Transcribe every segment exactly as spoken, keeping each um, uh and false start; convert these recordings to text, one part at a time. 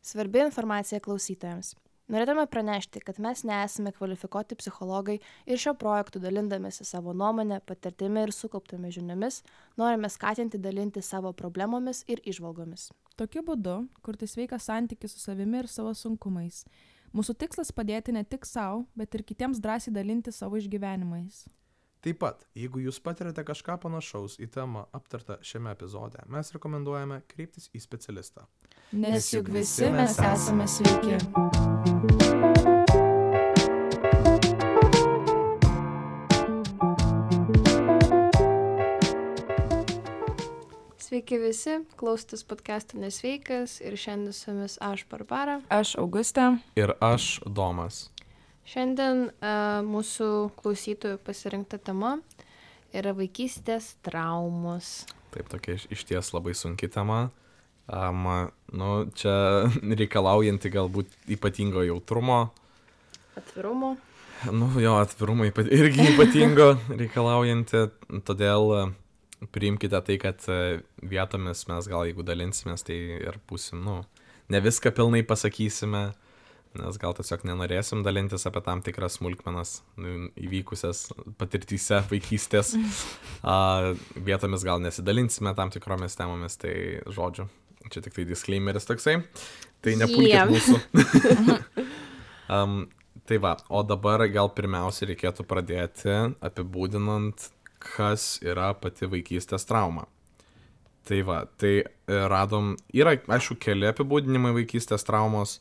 Svarbi informacija klausytojams. Norėtume pranešti, kad mes nesame kvalifikuoti psichologai ir šio projektu dalindamėsi savo nuomonę, patirtimi ir sukauptomis žiniomis, norime skatinti dalinti savo problemomis ir įžvalgomis. Tokiu būdu kurti sveiką santykį su savimi ir savo sunkumais. Mūsų tikslas padėti ne tik savo, bet ir kitiems drąsiai dalinti savo išgyvenimais. Taip pat, jeigu jūs patirate kažką panašaus į temą aptartą šiame epizode, mes rekomenduojame kreiptis į specialistą. Nes juk visi mes esame sveiki. Sveiki visi, klausotės podcast'o Nesveikas ir šiandien su jumis aš Barbara. Aš Augustė. Ir aš Domas. Šiandien uh, mūsų klausytojų pasirinkta tema yra vaikystės traumos. Taip, tokia iš, iš ties labai sunki tema. Um, nu, čia reikalaujanti galbūt ypatingo jautrumo. Atvirumo. Nu, jo, atvirumo ypat, irgi ypatingo reikalaujanti. Todėl priimkite tai, kad vietomis mes gal jeigu dalinsimės, tai ir būsim, nu, ne viską pilnai pasakysime. Nes gal tiesiog nenorėsim dalintis apie tam tikras smulkmenas nu, įvykusias patirtyse vaikystės. A, vietomis gal nesidalinsime tam tikromis temomis, tai žodžiu, čia tik tai disclaimeris toksai. Tai nepulkit Yeah. mūsų. um, tai va, o dabar gal pirmiausia reikėtų pradėti apibūdinant, kas yra pati vaikystės trauma. Tai va, tai radom, yra aišku keli apibūdinimai vaikystės traumos.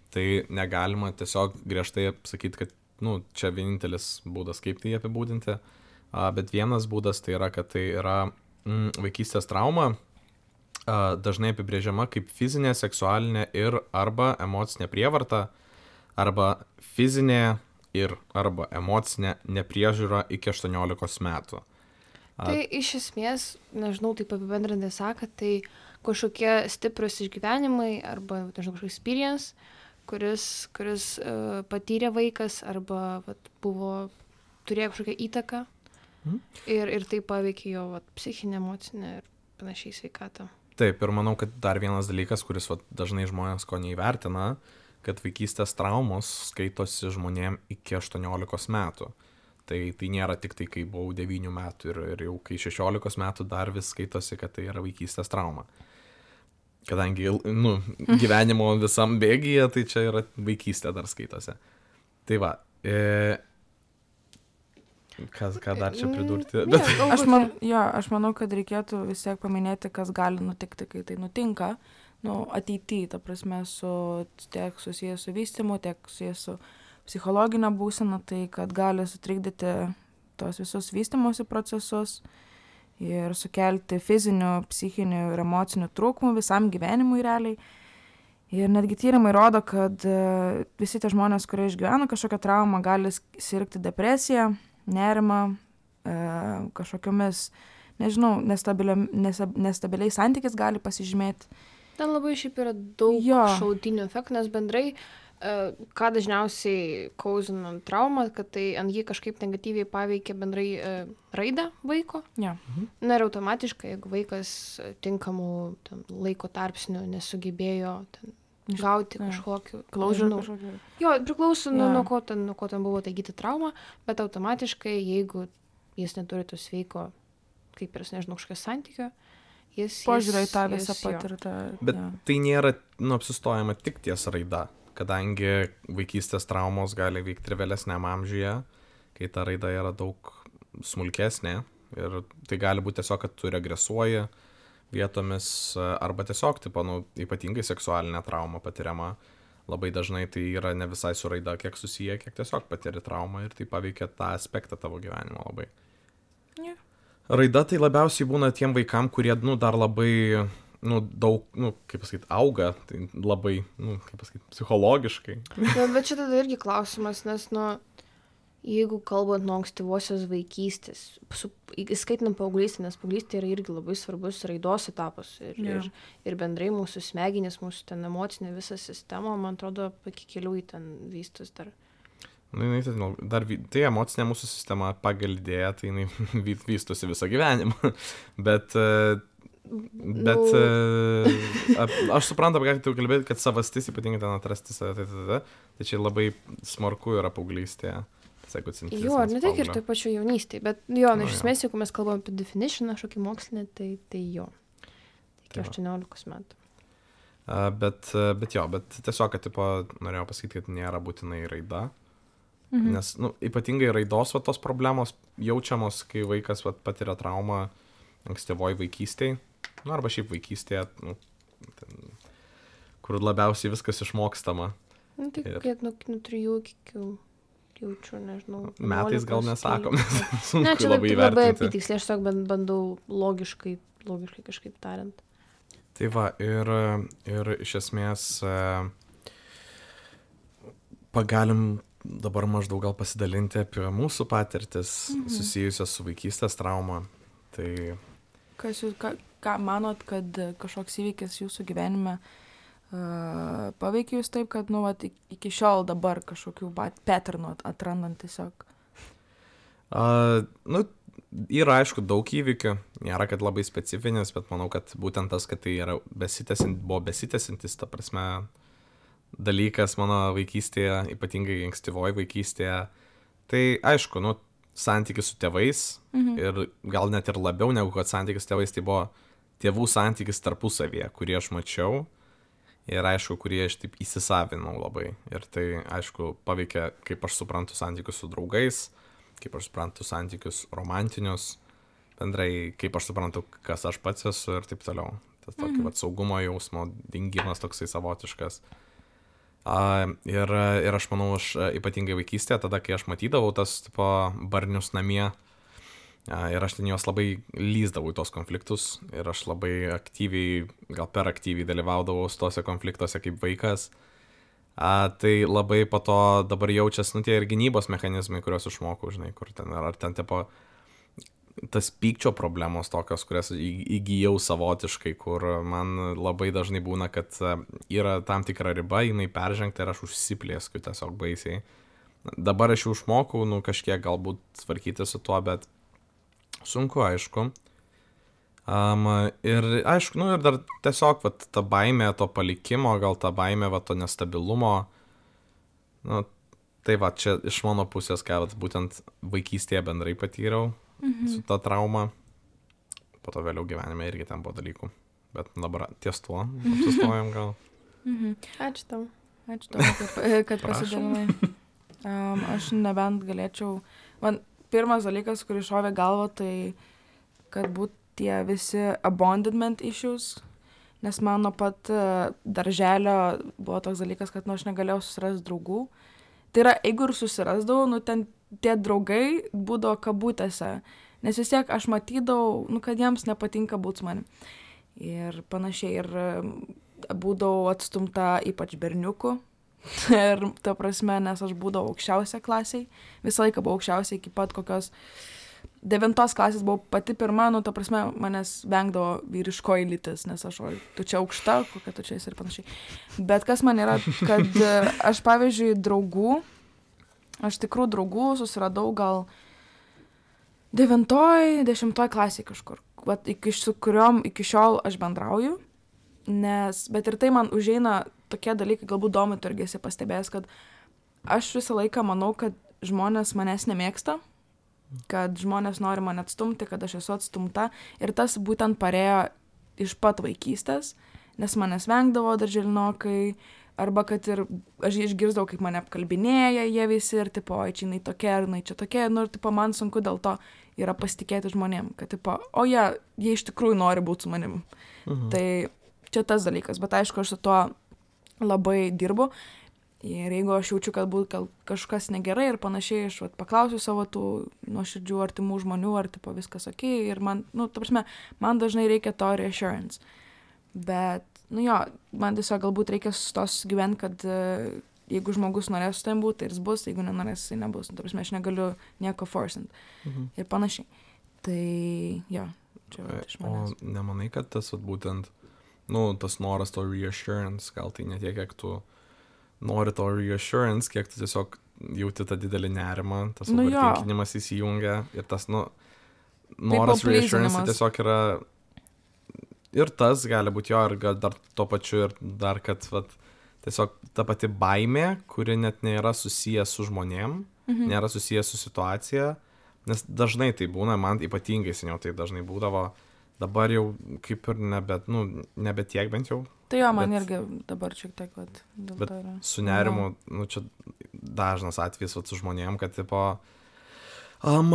Tai negalima tiesiog griežtai sakyti, kad nu, čia vienintelis būdas, kaip tai apibūdinti, a, bet vienas būdas tai yra, kad tai yra mm, vaikystės trauma, a, dažnai apibrėžiama kaip fizinė, seksualinė ir arba emocinė prievarta, arba fizinė ir arba emocinė nepriežiūra iki aštuoniolikos metų. A, tai iš esmės, nežinau, taip apibendrintai sakant, tai kažkokie stiprus išgyvenimai arba, nežinau, kažkoks experience, kuris, kuris uh, patyrė vaikas arba vat, buvo, turėjo kažkokią įtaką mhm. ir, ir tai paveikė jo vat, psichinę, emocinę ir panašiai sveikatą. Taip, ir manau, kad dar vienas dalykas, kuris vat, dažnai žmonės ko neįvertina, kad vaikystės traumos skaitosi žmonėm iki aštuoniolikos metų. Tai, tai nėra tik tai, kai buvau devynių metų ir, ir jau kai šešiolikos metų dar vis skaitosi, kad tai yra vaikystės trauma. Kadangi nu, gyvenimo visam bėgyje, tai čia yra vaikystė dar skaitosi. Tai va, e, kas, ką dar čia pridurti? Ne, Bet, Aš, man, jo, aš manau, kad reikėtų vis tiek paminėti, kas gali nutikti, kai tai nutinka. Nu, ateityje, ta prasme, su, tiek susijęs su vystymu, tiek susijęs su psichologinė būsena, tai kad gali sutrikdyti tos visus vystymosi procesus ir sukelti fizinių, psichinių ir emocinių trūkumų visam gyvenimui realiai. Ir netgi tyrimai rodo, kad visi tie žmonės, kurie išgyvena kažkokią traumą, gali sirgti depresiją, nerimą, kažkokiomis, nežinau, nestabiliais santykiais gali pasižymėti. Ten labai šiaip yra daug Jo. šalutinių efektų, nes bendrai ką dažniausiai kauzina traumą, kad tai ant jį kažkaip negatyviai paveikia bendrai e, raidą vaiko. Ja. Na ir automatiškai, jeigu vaikas tinkamų ten, laiko tarpsnių nesugebėjo ten, gauti ja. kažkokiu Klaužą nežinau. kažkokį. Jo, priklauso nuo, Ja. nuo, ko ten, nuo ko ten buvo taigyti trauma, bet automatiškai, jeigu jis neturi to sveiko, kaip ir, nežinau, kažkokio santykio, jis... Požiūrė į jis- tą jis- visą jo. patirtą. bet ja. tai nėra nu, apsistojama tik ties raida, kadangi vaikystės traumos gali vykti ir vėlesniam amžiuje, kai ta raida yra daug smulkesnė ir tai gali būti tiesiog, kad tu regresuoji vietomis arba tiesiog, tipo, nu, ypatingai seksualinė trauma patiriama. Labai dažnai tai yra ne visai su raida, kiek susiję, kiek tiesiog patiri traumą ir tai paveikia tą aspektą tavo gyvenimo labai. Ja. Raida tai labiausiai būna tiem vaikam, kurie, nu, dar labai, nu, daug, nu, kaip pasakyti, auga, tai labai, nu, kaip pasakyti, psichologiškai. Bet, bet čia tada irgi klausimas, nes, nu, jeigu kalbant nuo ankstyvosios vaikystės, su, įskaitinant paauglystę, nes paauglystė yra irgi labai svarbus raidos etapas ir, Jo. ir, ir bendrai mūsų smegenys, mūsų ten emocinė visa sistema, man atrodo, iki kelių į ten vystos dar. Nu, jinai, tai, nu, dar, vy- tai emocinė mūsų sistema pagal idėją, tai jinai vy- vystosi visą gyvenimą. Bet, e, Bet Nu. e, ap- aš suprantu, apie ką tu kalbėti, kad savastis, ypatingai ten atrasti save, tai, tai, tai, tai čia labai smarku yra paauglystėje. Jo, ar ne tik ir taip pačiu jaunystėje, bet jo, nu, Nu, iš jo. esmės, jeigu mes kalbam apie definition, kažkokį mokslinį, tai, tai jo. Iki Tai va. aštuoniolikos metų. A, bet, e, bet jo, bet tiesiog, kad, tipo, norėjau pasakyti, kad nėra būtinai raida. Mhm. Nes, nu, ypatingai raidos va, tos problemos jaučiamos, kai vaikas va, patiria traumą ankstyvoj vaikystėje, nu, arba šiaip vaikystėje, nu, ten, kur labiausiai viskas išmokstama. Nu, tai Ir- kiek nuo, nuo trijų iki kokių, jaučiu, nežinau. Metais gal vienuolikos, nesakom, trylikos. nes sunku Ne, čia labai labai, labai įvertinti. apitiksliai, aš tiesiog ban- bandau logiškai, logiškai kažkaip tariant. Tai va, ir, ir iš esmės e, pagalim dabar maždaug gal pasidalinti apie mūsų patirtis Mhm. susijusios su vaikystės trauma. Tai Kas jūs, ką, ką manot, kad e, kažkoks įvykis jūsų gyvenime uh, paveikia jūs taip, kad, nu, vat, ik- iki šiol dabar kažkokių pat- patternų at- atrandant tiesiog? a, nu, yra aišku daug įvykių, nėra kad labai specifinis, bet manau, kad būtent tas, kad tai yra besitęsint, buvo besitęsintis, ta prasme, dalykas mano vaikystėje, ypatingai ankstyvoje vaikystėje. Tai aišku, nu, santykis su tėvais Mhm. ir gal net ir labiau negu kad santykis su tėvais, tai buvo tėvų santykis tarpusavyje, kurį aš mačiau ir aišku, kurį aš taip įsisavinau labai. Ir tai aišku paveikia, kaip aš suprantu santykius su draugais, kaip aš suprantu santykius romantinius, bendrai kaip aš suprantu, kas aš pats esu ir taip toliau. Tas tokį Mhm. vat saugumo jausmo dingimas toksai savotiškas. A, ir, ir aš manau, aš a, ypatingai vaikystėje, tada, kai aš matydavau tas tipo, barnius namie, a, ir aš ten juos labai lyzdavau į tos konfliktus, ir aš labai aktyviai, gal per aktyviai dalyvaudavau tose konfliktuose kaip vaikas, a, tai labai po to dabar jaučiasi, nu, tie ir gynybos mechanizmai, kuriuos išmokau, žinai, kur ten, ar ten tipo, tas pykčio problemos tokios, kurias į- įgijau savotiškai, kur man labai dažnai būna, kad a, yra tam tikra riba, jinai peržengta ir aš užsiplėskiu tiesiog baisiai. Dabar aš jau išmokau, nu, kažkiek galbūt tvarkyti su tuo, bet sunku, aišku. Um, ir aišku, nu, ir dar tiesiog vat, ta baimė to palikimo, gal ta baimė vat, to nestabilumo. Nu, tai va, čia iš mano pusės, ką vat, būtent vaikystėje bendrai patyriau Mhm. su ta trauma. Po to vėliau gyvenime irgi ten buvo dalykų. Bet dabar ties tuo apsistojom gal. Mhm. Ačiū tau. Ačiū tau, kad, kad Prašom. pasidalinai. Um, aš nebent galėčiau... Man pirmas dalykas, kuris šovė galvą, tai kad būtų tie visi abandonment issues, nes man nuo pat uh, darželio buvo toks dalykas, kad nu, aš negalėjau susirasti draugų. Tai yra, jeigu ir susirasdavau, nu ten tie draugai būdavo kabutėse, nes vis tiek aš matydavau, nu, kad jiems nepatinka būti su manim. Ir panašiai, ir um, būdavau atstumta ypač berniukų. Ir ta prasme, nes aš būdavau aukščiausia klasiai, visą laiką buvau aukščiausia iki pat kokios devintos klasės buvau pati pirma, nu ta prasme, manęs vengdavo vyriškoji lytis, nes aš, oi, tu čia aukšta, kokia tu čia esi ir panašiai. Bet kas man yra, kad e, aš pavyzdžiui draugų, aš tikrų draugų susiradau gal devintoj, dešimtoj klasėj kažkur, vat, iki, su kuriuom iki šiol aš bendrauju. Nes, bet ir tai man užeina tokie dalykai, galbūt domi tu irgi esi pastebėjęs, kad aš visą laiką manau, kad žmonės manęs nemėgsta, kad žmonės nori mane atstumti, kad aš esu atstumta. Ir tas būtent parėjo iš pat vaikystės, nes manęs vengdavo darželinokai, arba kad ir aš išgirsdavau, kaip mane apkalbinėja jie visi ir tipo, oi, čia jinai tokia, ar jinai čia tokia, nu ir tipo, man sunku dėl to yra pasitikėti žmonėm, kad tipo, o jie, jie iš tikrųjų nori būti su manim. Mhm. Tai čia tas dalykas, bet aišku, aš su tuo labai dirbu ir jeigu aš jaučiu, kad būt gal kažkas negerai ir panašiai, aš vat, paklausiu savo tų nuoširdžių artimų žmonių, ar tipo viskas ok, ir man, nu, ta prasme, man dažnai reikia to reassurance, bet, nu jo, man tiesiog galbūt reikia sustos gyventi, kad uh, jeigu žmogus norės su tavim būti, tai jis bus, jeigu nenorės, jis nebus, nu, ta prasme, aš negaliu nieko forcint Mhm. ir panašiai. Tai, jo, čia vat, iš O manęs. nemanai, kad tas vat, būtent, nu, tas noras to reassurance, gal tai ne tiek, kiek tu nori to reassurance, kiek tu tiesiog jauti tą didelį nerimą, tas Nu jo. overtinkinimas įsijungia ir tas, nu, noras people reassurance tai pleasinimas. tiesiog yra ir tas gali būti jo, ir gal dar tuo pačiu, ir dar, kad vat, tiesiog ta pati baimė, kuri net nėra susijęs su žmonėm, mhm. nėra susijęs su situacija, nes dažnai tai būna, man ypatingai seniau tai dažnai būdavo, dabar jau kaip ir nebe, nu, nebe tiek bent jau. Tai jo, man bet, irgi dabar šiek tiek, vat, dėl bet to yra. Su nerimu, nu, čia dažnas atvejis vat, su žmonėm, kad, tipo, um,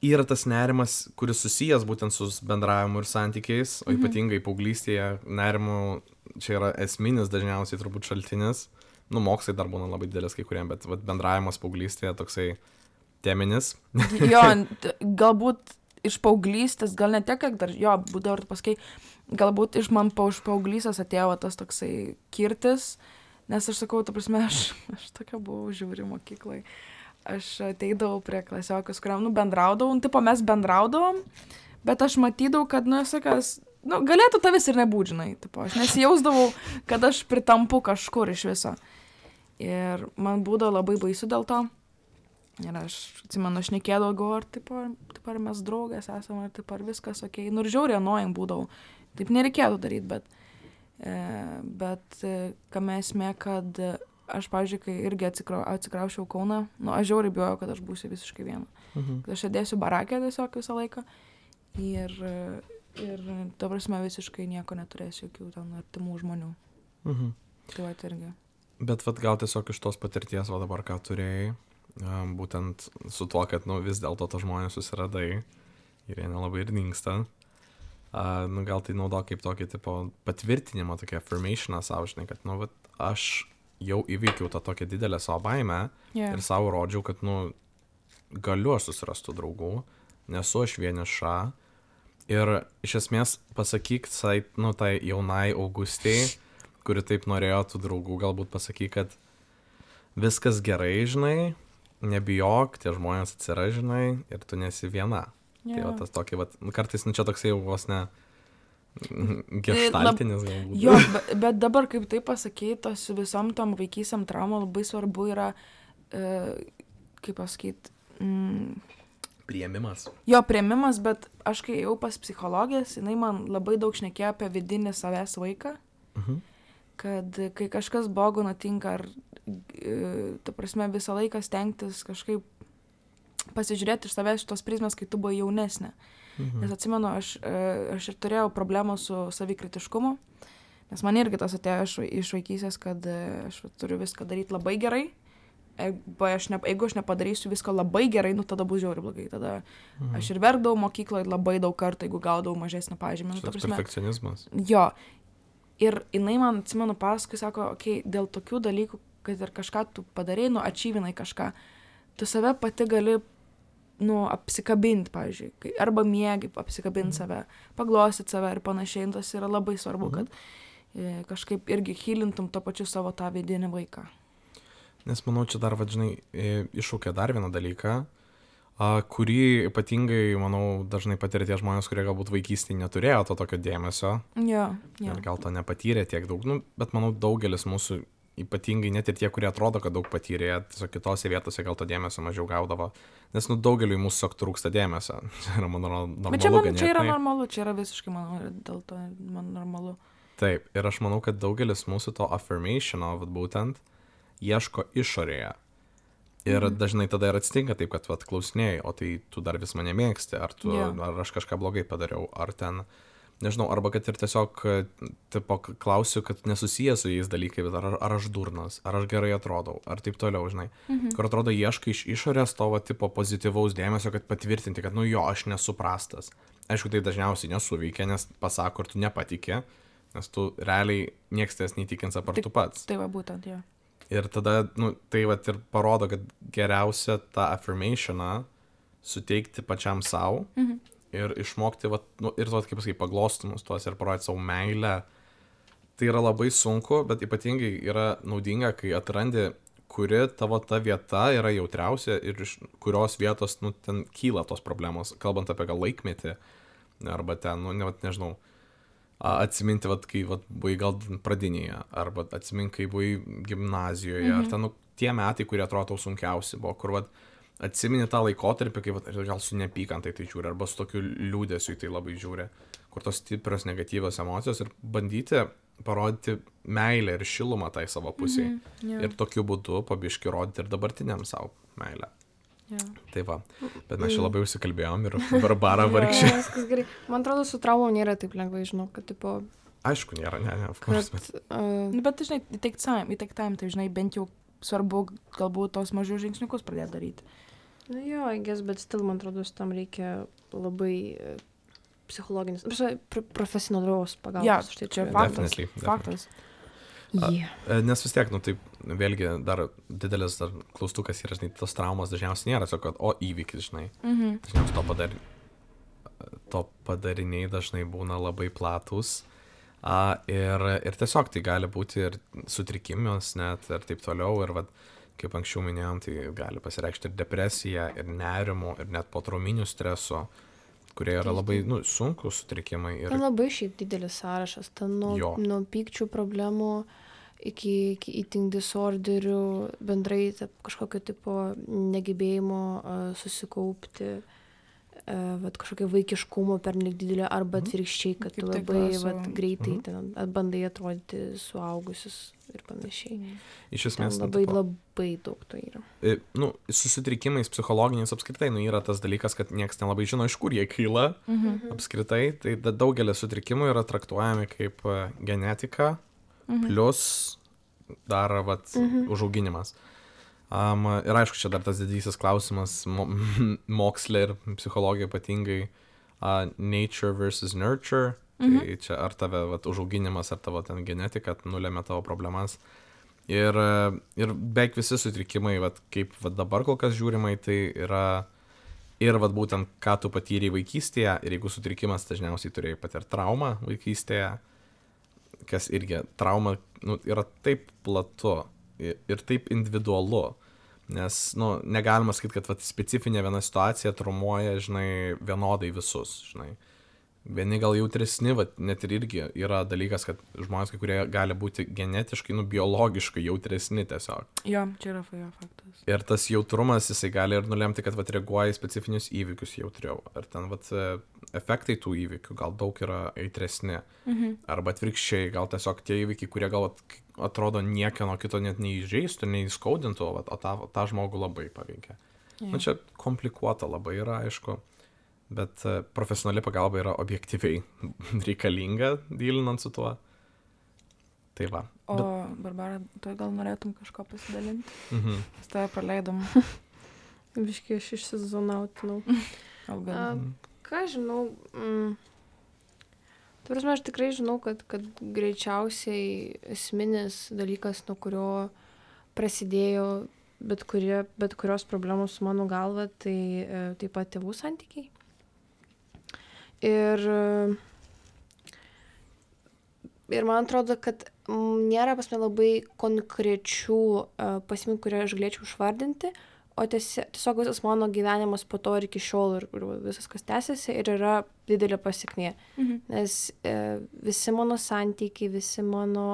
yra tas nerimas, kuris susijęs būtent su bendravimu ir santykiais, o ypatingai paauglystėje nerimų čia yra esminis dažniausiai turbūt šaltinis. Nu, mokslai dar būna labai didelis kai kuriem, bet vat, bendravimas paauglystėje toksai teminis. Jo, galbūt iš paauglystės, gal ne tiek, kiek dar, jo, būdavo ir paskui, galbūt iš man pa, iš paauglystės atėjo tas toksai kirtis, nes aš sakau, ta prasme, aš, aš tokia buvau žiūri mokyklai. Aš ateidavau prie klasiokius, kuriam, nu, bendraudavom, tipo mes bendraudavom, bet aš matydavau, kad, nu, sakas, nu, galėtų tavęs ir nebūt, žinai, tipo, aš nesijausdavau, kad aš pritampu kažkur iš viso. Ir man būdavo labai baisu dėl to. Ir aš atsimenu, aš nekėdavau, galvoju, ar tipo, tipo, ar mes draugės esame, ar tipo, ar viskas okei. Nu, ir žiauriai annoying būdavau. Taip nereikėtų daryti, bet, e, bet e, kame esmė, kad aš, pavyzdžiui, kai irgi atsikrau, atsikraušiau Kauną, nu, aš žiauriai bijojau, kad aš būsiu visiškai viena. Mhm. Kad aš sėdėsiu barakė tiesiog visą laiką ir, ir ta prasme, visiškai nieko neturėsiu, jokių ten artimų žmonių. Mhm. Tai va, irgi. Bet vat, gal tiesiog iš tos patirties, va dabar ką turėjai, būtent su tuo, kad nu, vis dėlto to žmonės susiradai ir jie nelabai ir dingsta. Uh, nu, gal tai naudo kaip tokį tipo patvirtinimą, tokį affirmationą savo, žinai, kad nu, vat, aš jau įveikiau tą tokią didelę savo baimę yeah. ir savo rodžiau, kad nu, galiu aš susirastų draugų, nesu aš vieniša. Ir iš esmės pasakyk tai, nu, tai jaunai Augustei, kuri taip norėjo tų draugų, galbūt pasakyk, kad viskas gerai, žinai, nebijok, tie žmonės atsiras, žinai, ir tu nesi viena. Yeah. Tai va tas tokį, va, kartais, nu čia toksai jau vos ne geštaltinis galbūt. Jo, bet, bet dabar, kaip tai pasakyti, tos visom tom vaikysiam traumom labai svarbu yra, e, kaip pasakyti, mm, priėmimas. Jo, priėmimas, bet aš kai jau pas psichologės, jinai man labai daug šnekėjo apie vidinį savęs vaiką, mhm. kad kai kažkas blogo nutinka, ar ta prasme visą laiką stengtis kažkaip pasižiūrėti iš savęs šitos prizmės, kai tu buvai jaunesnė. Mhm. Nes atsimenu, aš, aš ir turėjau problemą su savikritiškumu, nes man irgi tas atėjo iš, iš vaikysės, kad aš turiu viską daryti labai gerai. Jeigu aš, ne, jeigu aš nepadarysiu visko labai gerai, nu tada bus žiauriai blogai. Tada mhm. aš ir verkdavau mokykloje labai daug kartų, jeigu gaudavau mažesnį pažymį. Nu, tas perfekcionizmas. Jo. Ir jinai man, atsimenu, paskui sako, okei, okay, dėl tokių dalykų, kad ir kažką tu padarai, nu, ačyvinai kažką, tu save pati gali, nu, apsikabinti, pavyzdžiui, arba miegi apsikabinti mm. save, paglostyt save ir panašiai, tas yra labai svarbu, mm. kad e, kažkaip irgi hylintum to pačiu savo tą vidinį vaiką. Nes manau, čia dar, vadžinai, iššūkia dar vieną dalyką, a, kurį ypatingai, manau, dažnai patiria tie žmonės, kurie galbūt vaikystėje neturėjo to tokio dėmesio. Jo, jo. Ir gal to nepatyrė tiek daug, nu, bet manau, daugelis mūsų, ypatingai net ir tie, kurie atrodo, kad daug patyrė, tiesiog kitose vietose gal to dėmesio mažiau gaudavo, nes, nu, daugeliui mūsų tiesiog trūksta dėmesio. Čia yra, man normalu. Bet čia, man, čia yra normalu, čia yra visiškai, manau, dėl to man normalu. Taip, ir aš manau, kad daugelis mūsų to affirmationo, būtent, ieško išorėje. Ir mhm. dažnai tada ir atsitinka taip, kad vat, klausinėjai, o tai tu dar vis mane mėgsti, ar, tu, yeah. ar aš kažką blogai padariau, ar ten, nežinau, arba kad ir tiesiog tipo, klausiu, kad nesusijęs su jais dalykai, bet ar, ar aš durnas, ar aš gerai atrodau, ar taip toliau, žinai. Mhm. Kur atrodo ieškai iš išorės to va, tipo pozityvaus dėmesio, kad patvirtinti, kad nu jo, aš nesu prastas. Aišku, tai dažniausiai nesuveikia, nes pasako, ar tu nepatikė, nes tu realiai nieks ties neįtikins apart tu pats. Tai va būtent, jo. Ir tada, nu, tai vat ir parodo, kad geriausia tą affirmationą suteikti pačiam savo mhm. ir išmokti, vat, nu, ir vat, kaip pasakai, paglostumus tuos ir parodyti savo meilę. Tai yra labai sunku, bet ypatingai yra naudinga, kai atrandi, kuri tavo ta vieta yra jautriausia ir iš kurios vietos, nu, ten kyla tos problemos, kalbant apie gal laikmetį, arba ten, nu, ne, vat, nežinau, atsiminti, vat, kai vat, buvai gal pradinėje, arba atsiminti, kai buvai gimnazijoje, mhm. ar ten, nu, tie metai, kurie atrodo tau sunkiausi buvo, kur vat, atsimini tą laikotarpį, kai vat, gal su neapykantai tai žiūri, arba su tokiu liūdėsiu tai labai žiūri, kur tos stiprios negatyvios emocijos ir bandyti parodyti meilę ir šilumą tai savo pusiai. Mhm, jo. Ir tokiu būdu pabiški rodyti ir dabartiniam savo meilę. Jo. Tai va, bet mes čia labai užsikalbėjom ir Barbara vargšė. Jo, viskas gerai. Man atrodo, su traumom nėra taip lengvai, žinau, kad tipo... Aišku, nėra, ne, ne, of course, Kad, bet... uh, Nu, bet, žinai, į take time, į take time, tai, žinai, bent jau svarbu galbūt tos mažius žingsniukus pradėti daryti. nu jo, I guess, bet still, man atrodo, tam reikia labai uh, psichologinis, pr profesionalios pagalbos. Ja, Štai čia čia faktas. Definitely, definitely. Faktas. Yeah. E, Nes vis tiek, nu taip, vėlgi dar didelis dar klaustukas yra, žinai, tos traumos dažniausiai nėra, tiesiog, kad, o įvykis, žinai, Mhm. dažniausiai to, padar... to padariniai dažnai būna labai platus. A, ir, ir tiesiog tai gali būti ir sutrikimas net ir taip toliau. Ir vat, kaip anksčiau minėjom, tai gali pasireikšti ir depresija, ir nerimo, ir net potrauminių streso, kurie yra labai nu, sunkus sutrikimai. Ir... Ten labai šiaip didelis sąrašas, ten nuo, Jo. nuo pykčių problemų iki, iki eating disorderių, bendrai ta, kažkokio tipo negebėjimo uh, susikaupti, uh, vat, kažkokio vaikiškumo per nelik didelio, arba atvirkščiai, kad tu Kaip tai labai klauso. vat, greitai Mhm. ten at- bandai atrodyti suaugusius ir panašiai. Iš Ten esmės, nu, labai, tipo, labai daug to yra. e, nu, susitrikimais psichologiniais apskritai, nu, yra tas dalykas, kad niekas nelabai žino, iš kur jie kyla. Mhm. Apskritai, tai da- daugelis sutrikimų yra traktuojami kaip e, genetika, Mhm. plus dar vat, Mhm. užauginimas. Um, ir aišku, čia dar tas didysis klausimas mo moksle ir psichologija ypatingai uh, nature versus nurture. Mhm. Tai čia ar tave vat, užauginimas, ar tavo ten genetika nulėmė tavo problemas. Ir, e, ir beveik visi sutrikimai, vat, kaip vat, dabar kol kas žiūrimai, tai yra ir vat, būtent ką tu patyrei vaikystėje. Ir jeigu sutrikimas, dažniausiai turėjai patirti traumą vaikystėje, kas irgi trauma nu, yra taip platu ir, ir taip individualu. Nes, nu, negalima sakyti, kad vat, specifinė viena situacija traumuoja, žinai, vienodai visus, žinai. Vieni gal jautresni, vat, net ir irgi yra dalykas, kad žmonės, kai kurie gali būti genetiškai, nu, biologiškai jautresni tiesiog. Jo, čia yra fa- jo faktas. Ir tas jautrumas, jisai gali ir nulemti, kad vat, reaguoja į specifinius įvykius jautriau. Ar ten vat, e, efektai tų įvykių gal daug yra aitresni. Mhm. Arba atvirkščiai, gal tiesiog tie įvykiai, kurie gal vat, atrodo niekieno kito net neįžeistų, neįskaudintų, vat, o tą, tą žmogų labai paveikia. Jo. Na čia komplikuota labai yra, aišku, bet e, profesionali pagalba yra objektyviai reikalinga, dylinant su tuo. Tai va. O, Bet, Barbara, tu gal norėtum kažko pasidalinti? mhm. Mes tave praleidom. Biškai aš išsizonautinau. Gal gal. A, ką žinau, mm, tu prasme, aš tikrai žinau, kad, kad greičiausiai esminis dalykas, nuo kurio prasidėjo bet, kurie, bet kurios problemos su mano galva, tai e, taip pat tėvų santykiai. Ir, e, ir man atrodo, kad mm, nėra pas mane labai konkrečių e, pasekmių, kurią aš galėčiau išvardinti, o tiesi- tiesiog visas mano gyvenimas po to ir iki šiol ir, ir visas, kas tęsiasi, ir yra didelė pasekmė. Mhm. Nes e, visi mano santykiai, visi mano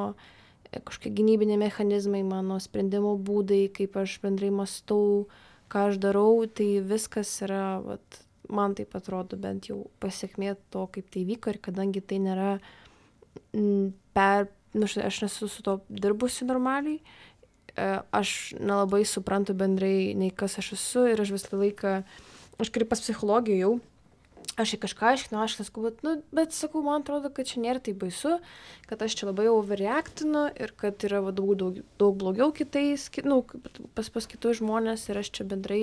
e, kažkokie gynybiniai mechanizmai, mano sprendimo būdai, kaip aš bendrai mąstau, ką aš darau, tai viskas yra, vat, man taip atrodo, bent jau pasekmė to, kaip tai vyko, ir kadangi tai nėra m, per, nu, štai aš nesu su to dirbusi normaliai, e, aš nelabai suprantu bendrai, nei kas aš esu, ir aš visą laiką, aš kaip pas psichologiją jau, aš į kažką aiškinu, aš sakau, bet, nu, bet sakau, man atrodo, kad čia nėra taip baisu, kad aš čia labai overreactinu ir kad yra va, daug, daug, daug blogiau kitais, ki, nu, pas, pas kitus žmonės, ir aš čia bendrai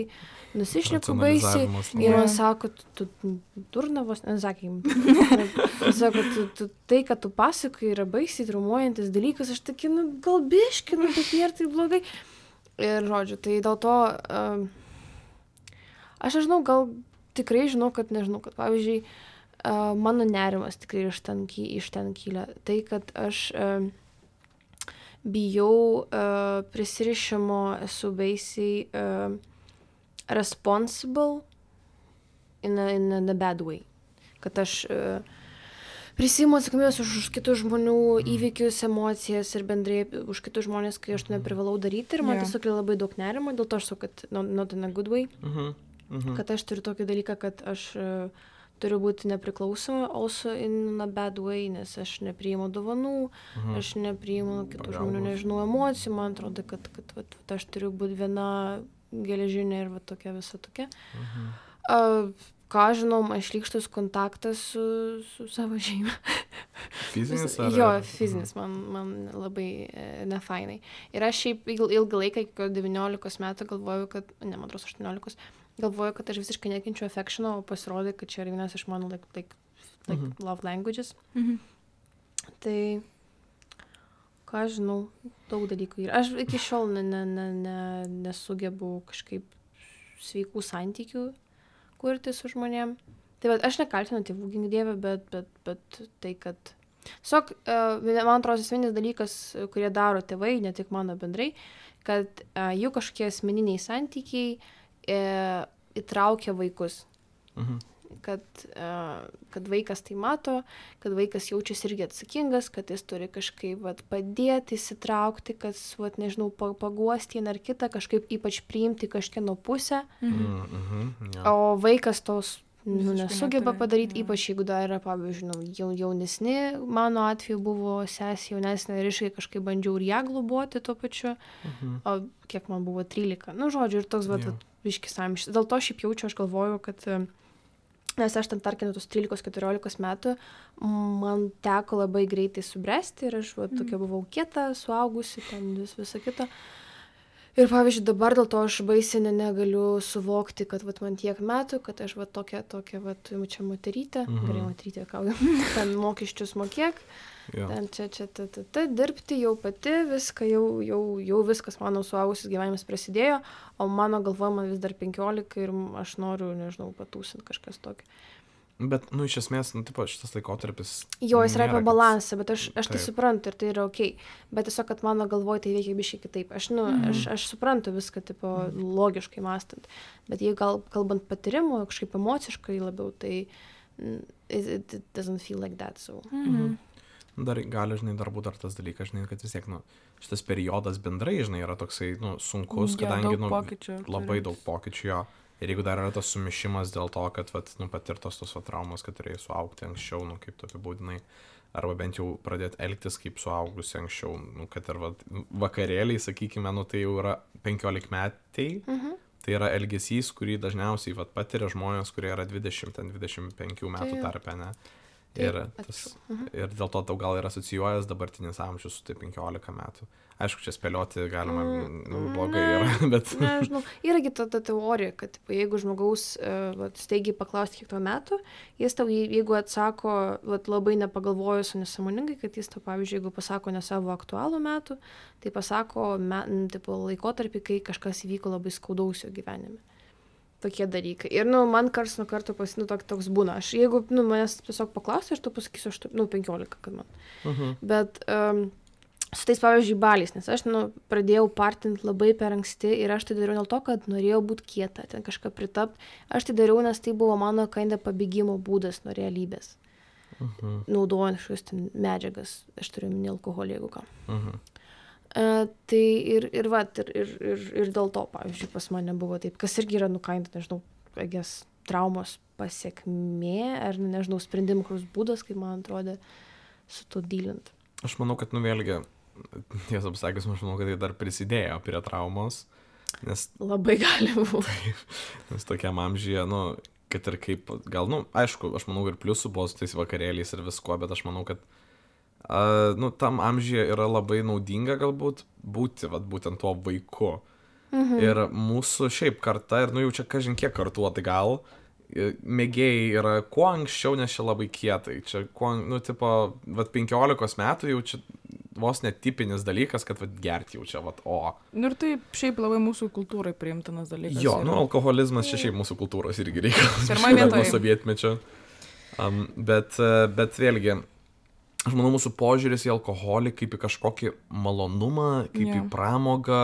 nusišneku baisiai. Racionalizavimas Ir Jo. man sako, tu tu durnavos, nesakym. Sako, tu, tu, tai, kad tu pasakai, yra baisiai traumuojantis dalykas, aš tokia, nu, gal biški, nu, bet nėra tai blogai. Ir, žodžiu, tai dėl to, um, aš nežinau, gal tikrai žinau, kad nežinau, kad, pavyzdžiui, uh, mano nerimas tikrai iš ten, ky- iš ten kyla. Tai, kad aš um, bijau uh, prisirišimo, esu baisiai uh, responsible in a, in a bad way. Kad aš uh, prisiimu atsakomybės už, už kitų žmonių įvykius, emocijas ir bendrai už kitus žmonės, kai aš to neprivalau daryti. Ir man Jo. tiesiog yra labai daug nerimo, dėl to aš sakau, kad not, not in a good way. Mhm. Mhm. Kad aš turiu tokį dalyką, kad aš uh, turiu būti nepriklausoma, also in a bad way, nes aš nepriimu dovanų, Mhm. aš nepriimu kitų Pagalbos. žmonių, nežinau, emocijų, man atrodo, kad, kad vat, vat, aš turiu būti viena geležinė ir va tokia visa tokia. Mhm. A, ką žinau, man šlykštus kontaktas su, su savo šeima. Fizinis ar? Jo, fizinis, man, man labai e, nefainai. Ir aš šiaip il- ilgą laiką, iki devyniolikos metų galvoju, kad, ne, man atrodo, aštuoniolikos, galvoju, kad aš visiškai nekenčiu affectiono, o pasirodė, kad čia yra vienas iš mano like, like, like Mhm. love languages. Mhm. Tai, ką aš žinau, daug dalykų yra. Aš iki šiol ne, ne, ne, ne, nesugebu kažkaip sveikų santykių kurti su žmonėm. Tai bet aš nekaltinu tėvų, gink dieve, bet, bet, bet tai, kad... Tiesiog, uh, man atrodo, esminis dalykas, kurie daro tėvai, ne tik mano bendrai, kad uh, jų kažkokie asmeniniai santykiai uh, įtraukia vaikus. Mhm. Kad, uh, kad vaikas tai mato, kad vaikas jaučiasi irgi atsakingas, kad jis turi kažkaip vat, padėti, įsitraukti, kad, vat, nežinau, pa- paguosti vieną ar kitą, kažkaip ypač priimti kažkieno pusę, Mhm. Mhm. Jo. o vaikas tos nu, Visiškai nesugeba neturi, padaryti, jo. ypač jeigu dar yra, pavyzdžiui, nu, jau, jaunesni, mano atveju buvo sesė jaunesnė ir iškai kažkaip bandžiau ir ją globoti tuo pačiu, Mhm. o kiek man buvo trylika. Nu, žodžiu, ir toks, vat, Jo. vat, biškis amžius. Dėl to šiaip jaučiu, aš galvoju, kad, e, nes aš ten, tarkim, tos trylikos keturiolikos metų, man teko labai greitai subręsti ir aš, vat, tokia buvau kieta, suaugusi, ten vis, visa kita. Ir, pavyzdžiui, dabar dėl to aš baisiai ne- negaliu suvokti, kad, vat, man tiek metų, kad aš, vat, tokia, tokia, vat, čia moterytė, Mhm. gerai moterytė, kauju, ten mokesčius mokėk, Jo. ten čia, čia, ta, ta, ta, dirbti jau pati, viską, jau, jau, jau viskas mano suaugusis gyvenimas prasidėjo, o mano galvoje man vis dar penkiolika ir aš noriu, nežinau, patūsinti kažkas tokio. Bet, nu, iš esmės, nu, tipo, šitas laikotarpis... Jo, jis yra nėra, apie kad- balansą, bet aš, aš tai Taip. suprantu ir tai yra ok. Bet tiesiog, kad mano galvoje tai veikia biškai kitaip. Aš, nu, Mhm. aš, aš suprantu viską, tipo, logiškai mąstant. Bet jei gal kalbant patirimu, kažkaip emociškai labiau, tai mm, it, it doesn't feel like that. So. Mhm. Dar gali, žinai, dar būt dar tas dalykas, žinai, kad vis tiek, nu, šitas periodas bendrai, žinai, yra toksai, nu, sunkus, Jo, kadangi, daug nu, pokyčių labai turim. daug pokyčių jo. Ir jeigu dar yra tas sumišimas dėl to, kad, vat, nu, patirtos tos va, traumos, kad turėjai suaugti anksčiau, nu, kaip tu apibūdinai, arba bent jau pradėti elgtis kaip suaugusi anksčiau, nu, kad ir vat, vakarėliai, sakykime, nu, tai jau yra penkiolikmečiai, Mhm. tai yra elgesys, kurį dažniausiai vat, patiria žmonės, kurie yra dvidešimt, dvidešimt penkių metų Tai jo. tarpe, ne? Taip, Ir, tas, atsiprašau. Mhm. ir dėl to tau gal yra asocijuojas dabartinis amžius su tai penkiolika metų. Aišku, čia spėlioti galima, Mm, nu, blogai ne. yra, bet... Nežinau, yragi ta, ta teorija, kad tipo, jeigu žmogaus uh, vat, staigiai paklausti kiek to metų, jis tau, jei- jeigu atsako vat, labai nepagalvojus, o nesąmoningai, kad jis tau, pavyzdžiui, jeigu pasako ne savo aktualų metų, tai pasako me, n, tipo, laikotarpį, kai kažkas įvyko labai skaudaus jo gyvenime. Tokie dalykai. Ir, nu, man kars nuo karto pas, nu, tok, toks būna. Aš, jeigu, nu, manęs tiesiog paklausti, aš tau pasakysiu, aš, nu, penkiolika, kad man. Mhm. Bet um, su tais, pavyzdžiui, baliais, nes aš, nu, pradėjau partinti labai per anksti ir aš tai dariau dėl to, kad norėjau būti kieta, ten kažką pritapti. Aš tai dariau, nes tai buvo mano kinda pabėgimo būdas nuo realybės. Mhm. Naudojant kažkokias ten medžiagas, aš turiu minį alkoholį, jeigu ką. Mhm. Uh, tai ir, ir, va, ir, ir, ir, ir dėl to, pavyzdžiui, pas mane buvo taip, kas irgi yra, nu, kinda, nežinau, agės, traumos pasiekmė, ar, nežinau, sprendimų koks būdas, kaip man atrodė, su to dylint. Aš manau, kad, nu, vėlgi, tiesą pasakius, aš manau, kad tai dar prisidėjo prie traumos, nes, Labai gali būti. nes tokiam amžyje, nu, kad ir kaip, gal, nu, aišku, aš manau, ir pliusų buvo su tais vakarėliais ir visko, bet aš manau, kad, uh, nu, tam amžyje yra labai naudinga galbūt būti, vat, būtent tuo vaiku. Mhm. Ir mūsų šiaip karta, ir, nu, jau čia kažin kiek kartu, tai gal, i- mėgėjai yra kuo anksčiau, nes čia labai kietai. Čia, kuo, nu, tipo, vat, penkiolikos metų jau čia vos netipinis dalykas, kad, vat, gerti jau čia, vat, o. Nu ir tai šiaip labai mūsų kultūrai priimtinas dalykas. Jo, yra. nu, alkoholizmas čia šiaip mūsų kultūros irgi reikalas. Pirmoj Nuo vietoj. sovietmečio. Um, bet, e, bet vėlgi, aš manau, mūsų požiūris į alkoholį kaip į kažkokį malonumą, kaip Jo. į pramogą,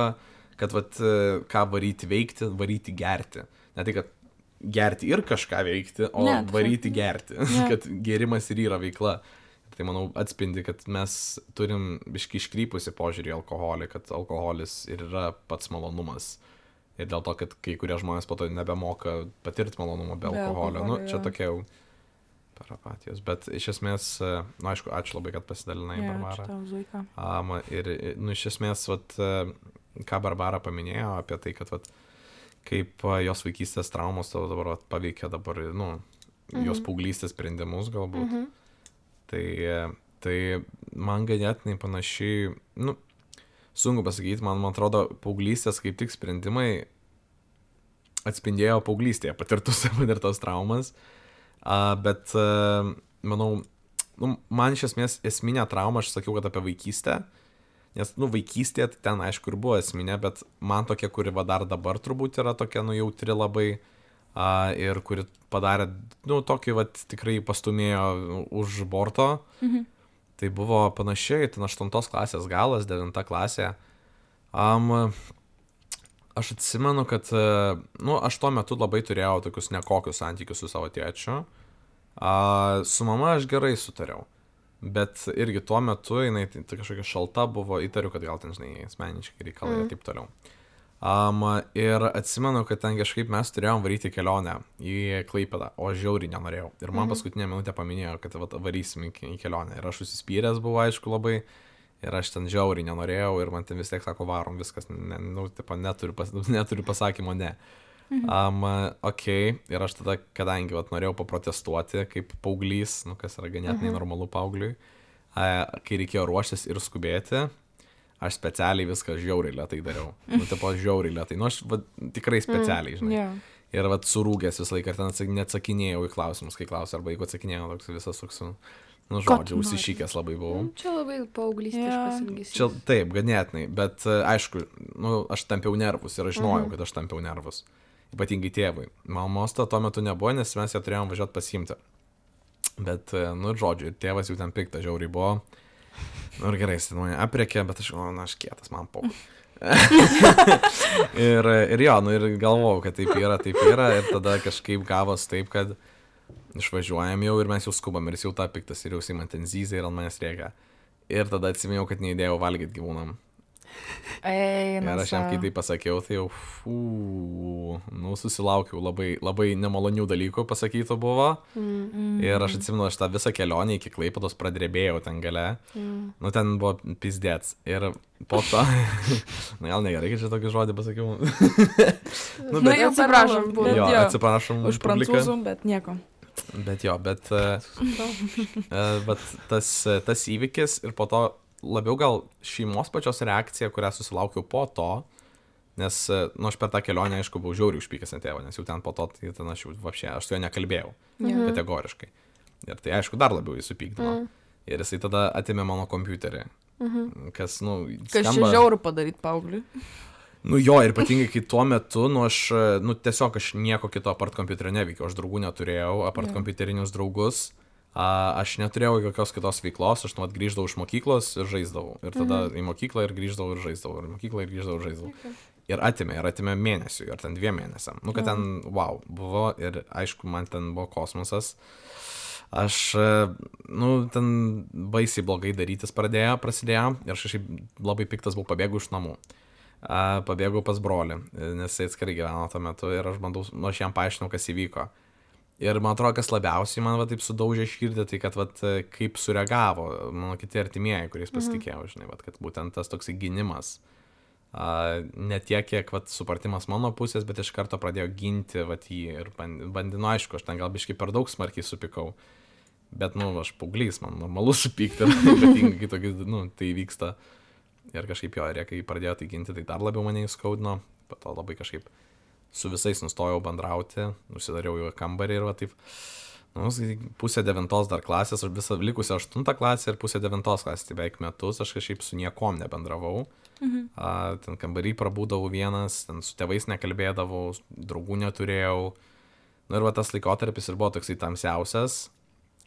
kad, vat, e, ką varyti veikti, varyti gerti. Ne tai, kad gerti ir kažką veikti, o Ne, ne, varyti gerti. Jo. Kad gėrimas ir yra veikla. Tai, manau, atspindi, kad mes turim biškai iškrypusi požiūrį į alkoholį, kad alkoholis ir yra pats malonumas. Ir dėl to, kad kai kurie žmonės po to nebemoka patirti malonumą be Be alkoholio. Nu, alkoholio, čia jo. tokia jau per apatijos, bet iš esmės, na, aišku, ačiū labai, kad pasidalinai, Jo, Barbara. ačiū tau, Zuika. Um, ir, nu, iš esmės, vat, ką Barbara paminėjo apie tai, kad, vat, kaip jos vaikystės traumos tavo dabar vat, paveikia dabar, nu, Mhm. jos paauglystės sprendimus galbūt. Mhm. Tai, tai man ganėtinai panašiai, nu, sunku pasakyti, man, man atrodo, paauglystės kaip tik sprendimai atspindėjo paauglystėje patirtus, patirtos traumas. Uh, bet, uh, manau, nu, man iš esmės esminė trauma, aš sakiau, kad apie vaikystę, nes, nu, vaikystėje tai ten, aišku, ir buvo esminė, bet man tokia, kuri va dar dabar turbūt yra tokia, nu, jautri labai uh, ir kuri padarė, nu, tokį, va, tikrai pastumėjo už borto, Mhm. tai buvo panašiai, ten aštuntos klasės galas, devinta klasė. Um, aš atsimenu, kad, nu, aš tuo metu labai turėjau tokius nekokius santykius su savo tėčiu. A, su mama aš gerai sutariau, bet irgi tuo metu jinai tai, tai kažkokia šalta buvo, įtariu, kad gal ten, žinai, asmeniškai reikalai ir Mm. taip toliau. Um, ir atsimenu, kad ten kažkaip mes turėjom varyti kelionę į Klaipėdą, o aš žiauriai nenorėjau. Ir man Mhm. paskutinę minutę paminėjo, kad vat, varysim į, į kelionę. Ir aš užsispyręs buvau, aišku, labai. Ir aš ten žiauriai nenorėjau ir man ten vis tiek sako, varom, viskas, ne, nu, tipo, neturiu, pas, neturiu pasakymo, ne. Mhm. Um, ok, ir aš tada, kadangi vat, norėjau paprotestuoti kaip paauglys, nu, kas yra ganėtinai Mhm. normalu paaugliui, a, kai reikėjo ruoštis ir skubėti, aš specialiai viską žiauriai lėtai dariau. Nu, tipo, žiauriai lėtai. Nu, aš va, tikrai specialiai, žinai. Jo. Ir vat surūgęs visą laiką, ir ten atsak- neatsakinėjau į klausimus, kai klausė, arba jeigu atsakinėjau, toks visas toks, nu, Ko žodžiu, tu nori? užsišykęs labai buvau. Čia labai paauglystės Jo. ilgesys. Čia taip, ganėtinai, bet e, aišku, nu, aš tampiau nervus ir aš žinojau, Mhm. kad aš tampiau nervus. Ypatingai tėvui. Mamos to tuo metu nebuvo, nes mes ją turėjom važiuoti pasiimti. Bet, e, nu, žodžiu, ir tėvas jau ten piktas žiauriai buvo. Nu, ir gerai, jis ten mane aprekė, bet aš galvoju, na, aš kietas, man po. ir, ir jo, nu, ir galvojau, kad taip yra, taip yra. Ir tada kažkaip gavos taip, kad išvažiuojam jau ir mes jau skubam. Ir jis jau tą piktas ir jau jis man ten zyzia ir ant manęs rėkia. Ir tada atsimėjau, kad neįdėjau valgyti gyvūnam. Eina. Ir aš jam kai tai pasakiau, tai jau, fū, nu, susilaukiau labai, labai nemalonių dalykų pasakytų buvo. Mm. Ir aš atsimenu, aš tą visą kelionę iki Klaipėdos pradrebėjau ten gale. Mm. Nu, ten buvo pizdėts. Ir po to, na, gal negerai, kad čia tokį žodį pasakiau. nu, Nu, bet, jau atsiprašom, per- buvo. bet jo, jo, atsiprašom už publiką. prancūzų, bet nieko. Bet jo, bet, uh, bet tas, tas įvykis ir po to labiau gal šeimos pačios reakcija, kurią susilaukiau po to, nes, nu, aš per tą kelionę, aišku, buvau žiauriai užpykęs ant tėvo, nes jau ten po to, tai ten aš jau, vapšė, aš su juo nekalbėjau, Mhm. kategoriškai. Ir tai, aišku, dar labiau jį supykdino. Mm. Ir jisai tada atėmė mano kompiuterį, Mhm. kas, nu, Kas čia žiauru padaryti paaugliui? Nu jo, ir ypatingai, kai tuo metu, nu aš, nu tiesiog aš nieko kito apart kompiuterio neveikiau, aš draugų neturėjau, apart Jo. kompiuterinius draugus, a, aš neturėjau jokios kitos veiklos, aš nuot grįždavau iš mokyklos ir žaisdavau. Ir tada Mhm. į mokyklą ir grįždavau ir žaisdavau, ir į mokyklą ir grįždavau ir žaisdavau. Okay. Ir atimė, ir atimė mėnesių, ir ten dviem mėnesiam. Nu, kad Jo. ten, wow, buvo, ir aišku, man ten buvo kosmosas. Aš, e, nu, ten baisiai blogai darytis pradėjo, prasidėjo, ir aš kažkaip labai piktas buvau, pabėgau iš namų. A, pabėgau pas brolį, nes jis atskirai gyveno tuo metu ir aš bandau, nu, aš jam paaiškinau, kas įvyko. Ir man atrodo, kas labiausiai man va taip sudaužė širdį, tai kad va kaip sureagavo mano kiti artimieji, kuriais pasitikėjau, žinai, va, kad būtent tas toks gynimas. A, ne tiek, kiek va supratimas mano pusės, bet iš karto pradėjo ginti va jį ir bandinu, aišku, aš ten gal biškai per daug smarkiai supykau. Bet, nu, aš paauglys, man normalu supykti, ypatingai, kai tokį, nu, tai vyksta. Ir kažkaip jo, ir kai pradėjo tai ginti, tai dar labiau mane įskaudino. Po to labai kažkaip su visais nustojau bendrauti, užsidariau į kambarį ir va taip, nu, pusę devintos dar klasės, aš visą likusią aštuntą klasę ir pusę devintos klasės, tai beveik metus, aš kažkaip su niekom nebendravau. Mhm. A, ten kambarį prabūdavau vienas, ten su tėvais nekalbėdavau, draugų neturėjau. Nu, ir va tas laikotarpis ir buvo toksai tamsiausias.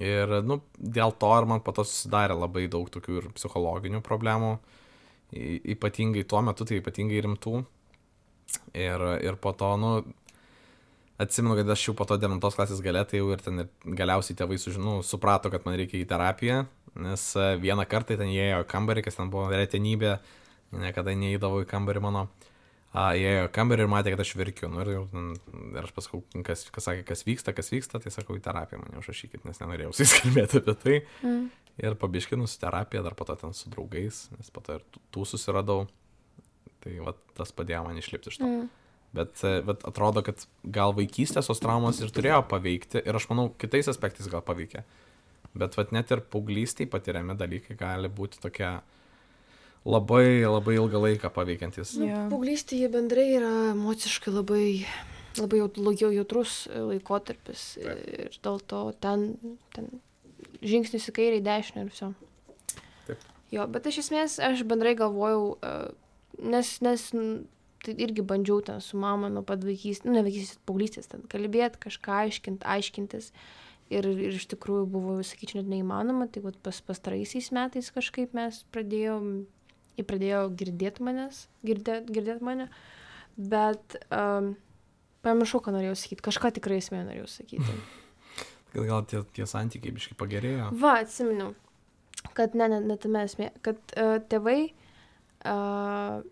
Ir, nu, dėl to ir man po to susidarė labai daug tokių ir psichologinių problemų. Y ypatingai tuo metu, tai ypatingai rimtų. Ir, ir po to, nu, atsimenu, kad aš jau po to devintos klasės gale, tai jau ir ten ir galiausiai tėvai sužinau, suprato, kad man reikia į terapiją, nes vieną kartą ten įėjo į kambarį, kas ten buvo retenybė, niekada neįdavo į kambarį mano. a, įėjo į kambarį ir matė, kad aš verkiu. Nu, ir, ir aš pasakau, kas, kas sakė, kas vyksta, kas vyksta, tai sakau, į terapiją mane užrašykit, nes nenorėjau su jais kalbėti apie tai. Mm. Ir pabiškinu su terapija, dar po to ten su draugais, nes po to ir tų susiradau. Tai va, tas padėjo man išlipti iš to. Mm. Bet, bet atrodo, kad gal vaikystės tos traumos ir turėjo paveikti, ir aš manau, kitais aspektais gal paveikė. Bet vat, net ir paauglystėj patiriami dalykai gali būti tokie labai, labai ilgą laiką paveikiantis. Nu, yeah. Paauglystėje bendrai yra emociškai labai, labai jau jautrus laikotarpis. Taip. Ir dėl to ten, ten žingsnis į kairę, į dešinę ir viso. Taip. Jo, bet iš esmės aš bendrai galvojau, nes, nes tai irgi bandžiau ten su mama nuo pat vaikystės, nu ne vaikystės, paauglystės, ten kalbėti, kažką aiškint, aiškintis. Ir, ir iš tikrųjų buvo, sakyčiau, net neįmanoma. Tai vat, pas pastaraisiais metais kažkaip mes pradėjom, jie pradėjo girdėti manęs, girdėti girdėt mane, bet um, pamiršau, ką norėjau sakyti. Kažką tikrai esmė norėjau sakyti. Kad gal tie, tie santykiai biškai pagerėjo? Va, atsiminiau, kad ne, ne, ne tame esmė, kad uh, tėvai, uh,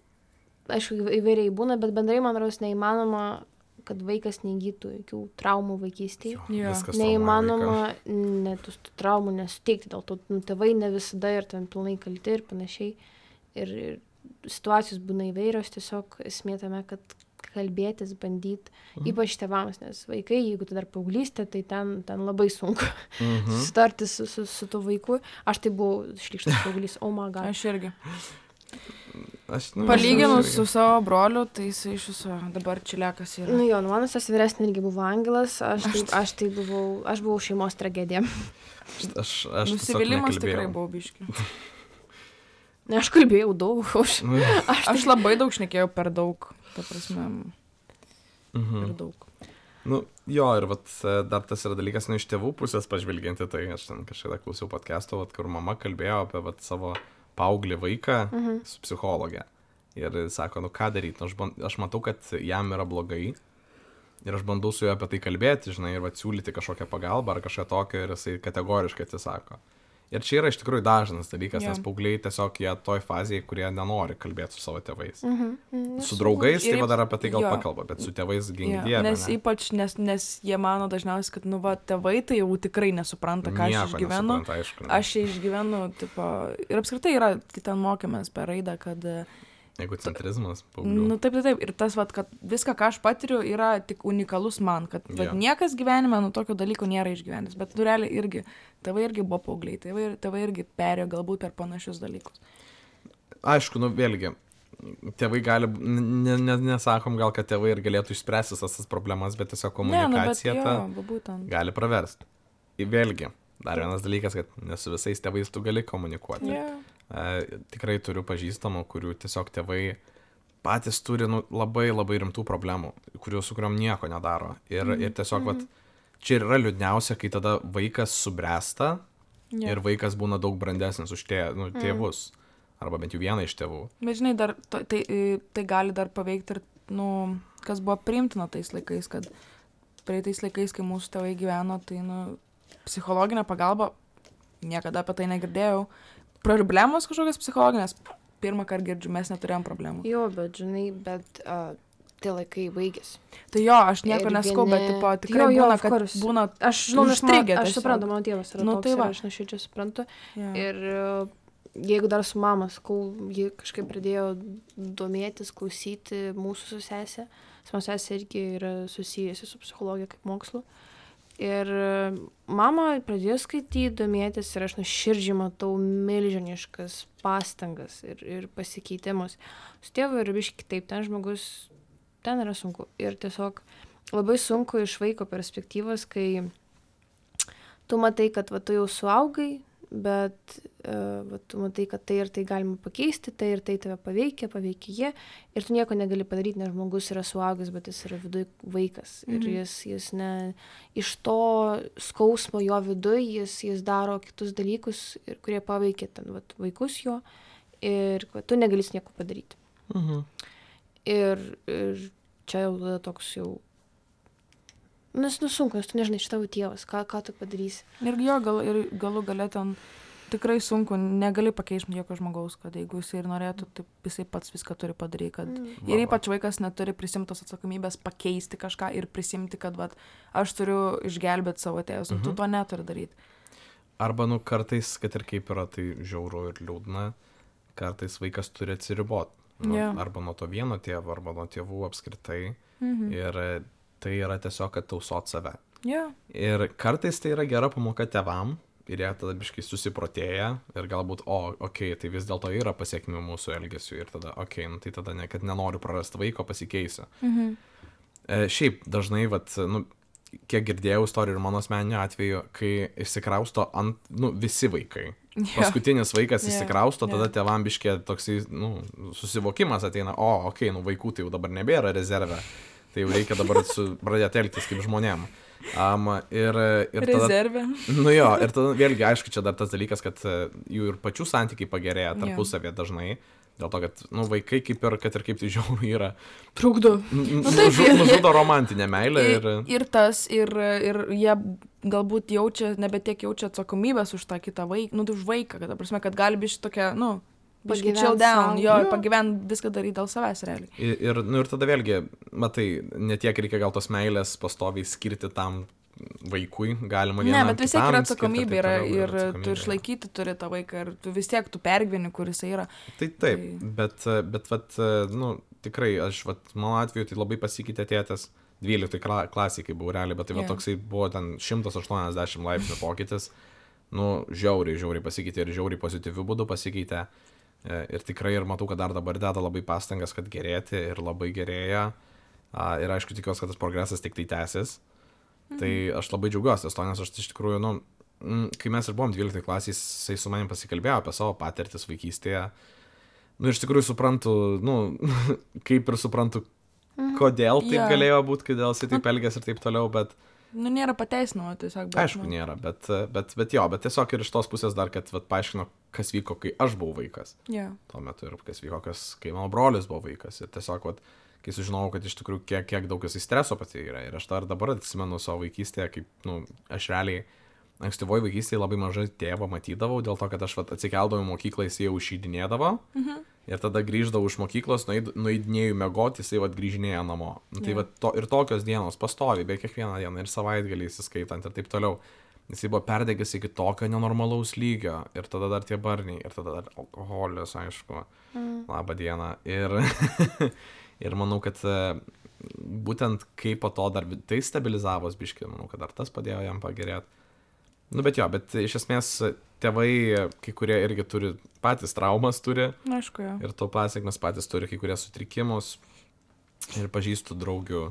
aišku, įvairiai būna, bet bendrai, man rodos, neįmanoma, kad vaikas neįgytų jokių traumų vaikystėje. Jo, neįmanoma net tų traumų nesuteikti, dėl to nu, tėvai ne visada ir ten pilnai kalti ir panašiai. Ir, ir situacijos būna įvairios, tiesiog esmė tame, kad kalbėtis, bandyti, mhm. ypač tėvams, nes vaikai, jeigu tai dar paauglystė, tai ten, ten labai sunku mhm. susitarti su, su, su tuo vaiku. Aš tai buvau šlykštas paauglys, oh my god. Aš irgi. Aš, nu, palyginus su savo broliu, tai jis iš viso dabar čiliakas yra. Nu jo, nu mano sesuo vyresnė irgi buvo angelas, aš tai, aš tai buvau, aš buvau šeimos tragedija. Aš, aš, aš nusivylimas tikrai buvo biški. Ne, aš kalbėjau daug. Aš, aš, tai... aš labai daug šnekėjau per daug, ta prasme, mhm. per daug. Nu, jo, ir vat, dar tas yra dalykas, nu, iš tėvų pusės pažvelgianti, tai aš ten kažkada klausiau podcast'o, vat, kur mama kalbėjo apie vat, savo paauglį vaiką mhm. su psichologė. Ir sako, nu ką daryti, nu, aš, band, aš matau, kad jam yra blogai. Ir aš bandau su juo apie tai kalbėti, žinai, ir vat, siūlyti kažkokią pagalbą ar kažką tokio, ir jisai kategoriškai atsisako. Ir čia yra iš tikrųjų dažnas dalykas, yeah. nes paaugliai tiesiog jie toj fazėje, kurie nenori kalbėti su savo tėvais. Mhm. Mm, su draugais tai va dar apie tai gal jo. pakalba, bet su tėvais gink yeah. dieve. Nes ne? Ypač, nes, nes jie mano dažniausiai, kad, nu, va, tėvai tai jau tikrai nesupranta, ką Nieko aš išgyvenu. Aišku, aš čia išgyvenu, tipo, ir apskritai yra, ten mokėmės per raidą, kad... Egocentrizmas, paauglių. Nu, taip, taip, taip. Ir tas, vat, kad viską, ką aš patiriu, yra tik unikalus man, kad vat, yeah. niekas gyvenime, nu, tokio dalyko nėra išgyvenęs. Bet, nu, realiai irgi, tėvai irgi buvo paaugliai, tėvai, tėvai irgi perėjo galbūt per panašius dalykus. Aišku, nu, vėlgi, tėvai gali, ne, ne, nesakom gal, kad tėvai ir galėtų išspręsti tas problemas, bet tiesiog komunikacija ne, nu, ta jo, gali praversti. Ir vėlgi, dar vienas dalykas, kad ne su visais tėvais tu gali komunikuoti. Yeah. E, tikrai turiu pažįstamų, kurių tiesiog tėvai patys turi nu, labai labai rimtų problemų, kurių su kuriuom nieko nedaro. Ir, mm-hmm. ir tiesiog, vat, čia yra liūdniausia, kai tada vaikas subręsta yeah. ir vaikas būna daug brandesnis už tė, nu, tėvus. Mm. Arba bent jau vieną iš tėvų. Bet žinai, dar, to, tai, tai gali dar paveikti ir, nu, kas buvo priimtina tais laikais, kad praeitais laikais, kai mūsų tėvai gyveno, tai, nu, psichologinė pagalba, niekada apie tai negirdėjau. Problemos kažkokios psichologinės, pirmą kartą girdžiu, mes neturėjom problemų. Jo, bet žinai, bet uh, tie laikai baigėsi. Tai jo, aš nieko neskau, vieni... bet tipo, tikrai jo, jo, būna, kad kurus. Būna aš, žinau, užstrigę. Aš suprantu, mano tėvas yra nu, toks, tai aš nuoširdžiai suprantu. Ja. Ir uh, jeigu dar su mama, sakau, ji kažkaip pradėjo domėtis, klausyti mūsų su sesė. Mano sesė irgi yra susijusi su psichologija kaip mokslu. Ir mama pradėjo skaityti, domėtis ir aš nuoširdžiai matau milžiniškas pastangas ir, ir pasikeitimus. Su tėvu yra biškai kitaip, ten žmogus, ten yra sunku. Ir tiesiog labai sunku iš vaiko perspektyvos, kai tu matai, kad va, tu jau suaugai, bet uh, va, tu matai, kad tai ir tai galima pakeisti, tai ir tai tave paveikia, paveikia jie. Ir tu nieko negali padaryti, nes žmogus yra suaugęs, bet jis yra viduj vaikas. Ir mhm. jis, jis ne, iš to skausmo jo viduj, jis, jis daro kitus dalykus, ir, kurie paveikia ten, va, vaikus jo. Ir va, tu negali nieko padaryti. Mhm. Ir, ir čia jau tada toks jau... Nes nu sunku, nes tu nežinai, iš tavo tėvas, ką, ką tu padarysi. Ir jo, gal, ir galų gale ten tikrai sunku, negali pakeisti jokio žmogaus, kad jeigu jisai ir norėtų, tai jisai pats viską turi padaryti, kad Mm. ir ypač vaikas neturi prisimtos atsakomybės pakeisti kažką ir prisimti, kad vat, aš turiu išgelbėti savo tėvus, mhm. tu to neturi daryti. Arba, nu, kartais, kad ir kaip yra, tai žiauru ir liūdna, kartais vaikas turi atsiriboti. Nu, Jo. arba nuo to vieno tėvo, arba nuo tėvų apskritai. Mhm. Ir e, tai yra tiesiog, kad tausot save. Jo. Ir kartais tai yra gera pamoka tėvam, ir jie tada biškai susiprotėja, ir galbūt, o, okei, okay, tai vis dėlto yra pasiekmių mūsų elgesių, ir tada, okei, okay, nu, tai tada ne, kad nenoriu prarasti vaiko, pasikeisiu. Mhm. E, šiaip dažnai, vat, nu, kiek girdėjau istorijų ir mano asmeniniu atveju, kai išsikrausto ant, nu, visi vaikai. Jo. Paskutinis vaikas Jo, išsikrausto, tada jo. tėvam biškė toksai, nu, susivokimas ateina, o, okei, okay, nu, vaikų tai jau dabar nebėra rezerve, tai jau reikia dabar su, pradėti elgtis kaip žmonėm. Um, ir, ir tada, Rezervė. nu jo, ir tada vėlgi, aišku, čia dar tas dalykas, kad e, jų ir pačių santykiai pagerėja tarpusavėje dažnai, dėl to, kad, nu, vaikai kaip ir, kad ir kaip tai žiauru yra, Trukdo. n- Nu, taip, nužu- jie- nužudo romantinę meilę ir... Ir, ir tas, ir, ir jie galbūt jaučia, nebetiek jaučia atsakomybės už tą kitą vaiką, nu, tai už vaiką, kad, ta prasme, kad gali biški tokia, nu, biški Pagyvent chill down, sau. jo, Jo. pagyvent viską daryti dėl savęs realiai. Ir, ir, nu, ir tada vėlgi, matai, netiek reikia gal tos meilės pastoviai skirti tam vaikui, galima Ne, vienam bet vis tiek kitam yra skirti atsakomybė taip yra toliau, ir tu atsakomybė. išlaikyti turi tą vaiką ir tu vis tiek tu pergyveni, kur jisai yra. Tai taip, Tai- bet, bet, vat, nu, tikrai, aš, vat, mano atveju tai labai pasikeitė tėtis, dvyliktoj kla- klasėj, kai buvau realiai, bet tai va Jo. toksai buvo ten šimtas aštuoniasdešimt laipsnių pokytis, nu, žiauriai, žiauriai pasikeitė ir žiauriai pozityvių būdų pasikeitė. E, Ir tikrai ir matau, kad dar dabar deda labai pastangas, kad gerėti ir labai gerėja. A, Ir aišku, tikiuosi, kad tas progresas tik tai tęsis. Mhm. Tai aš labai džiaugiuosi to, nes aš iš tikrųjų, nu, mm, kai mes ir buvom dvyliktoj klasėj, jisai su manim pasikalbėjo apie savo patirtis vaikystėje. Nu, iš tikrųjų suprantu, nu, kaip ir suprantu, kodėl taip Jo. galėjo būti, kodėl jisai taip elgės ir taip toliau, bet Nu, nėra pateisinama tiesiog. Bet, aišku, nu, nėra, bet, bet, bet jo, bet tiesiog ir iš tos pusės dar, kad vat, paaiškino, kas vyko, kai aš buvau vaikas. Jo. Tuo metu ir kas vyko, kas, kai mano brolis buvo vaikas. Ir tiesiog, vat, kai sužinojau, kad iš tikrųjų kiek, kiek daug jisai streso patyrė. Ir aš dar dabar atsimenu savo vaikystėje, kaip, nu, aš realiai ankstyvoje vaikystėje labai mažai tėvo matydavau, dėl to, kad aš vat, atsikeldavau į mokyklą, jis jau išeidinėdavo. Mhm. Ir tada grįždavau iš mokyklos, nueid- nueidinėjau mėgoti, jisai vat, grįžinėjo namo. Nu, tai Jo. vat, to, ir tokios dienos pastovi, be kiekvieną dieną, ir savaitgalį įsiskaitant ir taip toliau. Jisai buvo perdegęs iki tokio nenormalaus lygio. Ir tada dar tie barniai, ir tada dar alkoholis, aišku. Mm. Labą dieną. Ir, ir manau, kad e, būtent kaip po to dar tai stabilizavos biški, manau, kad dar tas padėjo jam pagerėti. Nu, bet jo, bet iš esmės tėvai, kai kurie irgi turi, patys traumas turi. Na, aišku, jo. Ir to pasiekmes patys turi kai kurie sutrikimus. Ir pažįstu draugių,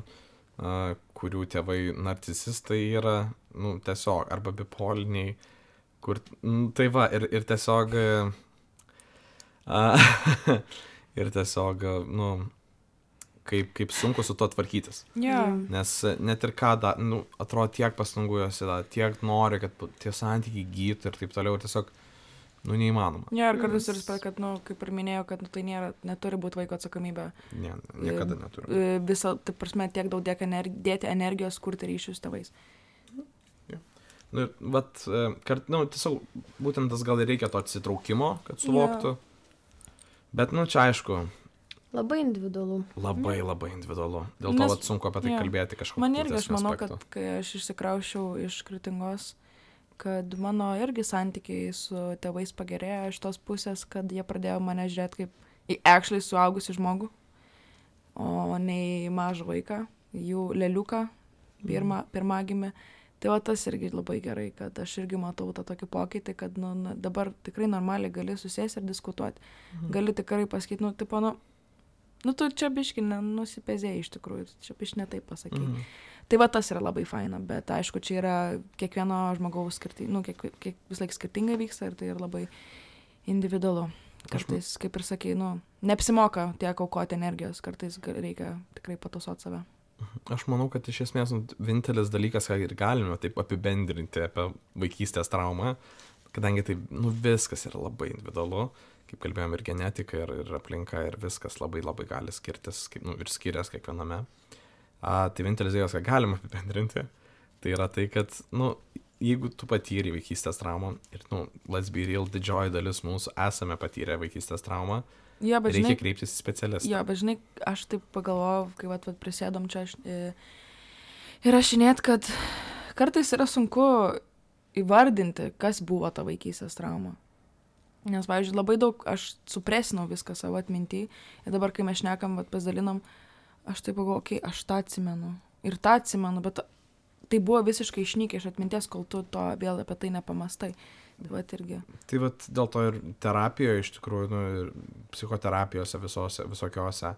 a, kurių tėvai narcisistai yra, nu, tiesiog, arba bipoliniai, kur, nu, tai va, ir, ir tiesiog, a, ir tiesiog, nu, kaip, kaip sunku su to tvarkytis. Jo. Nes net ir ką, da, nu, atrodo, tiek pastangų jos yra, tiek nori, kad tie santykiai gytų ir taip toliau, ir tiesiog, nu, neįmanoma. Jo, ir kartais ir spėl, kad, nu, kaip ir minėjau, kad nu, tai nėra, neturi būti vaiko atsakomybė. Ne, niekada neturiu. E, Visą, tai prasme, tiek daug dėk energi- dėti energijos, kurti ryšius su tėvais. Nu, ir vat, e, kart, nu, tiesiog būtent tas gal ir reikia to atsitraukimo, kad suvoktų. Bet, nu, čia aišku, Labai individualu. labai labai individualu. Dėl to Nes- vat, sunku apie tai jo. kalbėti kažkokiu Man irgi, aš manau, kad kai aš išsikraušiau iš Kretingos, kad mano irgi santykiai su tėvais pagerėjo iš tos pusės, kad jie pradėjo mane žiūrėti kaip į actually suaugusi žmogų, o ne į mažą vaiką, jų leliuką, pirmą, pirmagimį. Tai va tas irgi labai gerai, kad aš irgi matau tą tokį pokytį, kad nu, na, dabar tikrai normaliai gali susėsti ir diskutuoti. Mhm. Gali tikrai pasakyti, nu, tipo, nu, nu, tu čia biški nusipezėjai iš tikrųjų, tu čia biški ne taip pasakyti. Mhm. Tai va tas yra labai faina, bet aišku, čia yra kiekvieno žmogaus skirtingai, nu, kiek, kiek vis laik skirtingai vyksta ir tai yra labai individualu. Kartais, kaip ir sakai, nu, neapsimoka tiek aukoti energijos, kartais ga- reikia tikrai patusoti save. Aš manau, kad iš esmės nu, vienintelis dalykas, ką ir galime taip apibendrinti apie vaikystės traumą, kadangi tai nu, viskas yra labai individualu, kaip kalbėjom, ir genetika, ir, ir aplinka, ir viskas labai labai gali skirtis, kaip, nu, ir skirias kiekviename. A, tai vienintelis dalykas, ką galime apibendrinti, tai yra tai, kad nu, jeigu tu patyrei vaikystės traumą, ir, nu, let's be real, didžioji dalis mūsų esame patyrę vaikystės traumą, Ja, bet reikia žinai, kreiptis į specialistą. jo, bet žinai, aš taip pagalvojau, kai vat, vat prisėdom čia aš, e, ir aš žinėt, kad kartais yra sunku įvardinti, kas buvo ta vaikystės trauma. Nes, pavyzdžiui, labai daug aš supresinau viską savo atmintį ir dabar, kai mes šnekam, vat, pasidalinam, aš taip pagalvoju, okei, okay, aš tą atsimenu ir tą atsimenu, bet tai buvo visiškai išnykę iš atminties, kol tu to vėl apie tai nepamastai. Tai vat irgi. Tai vat dėl to ir terapijoje, iš tikrųjų, nu, ir psichoterapijose visose, visokiose,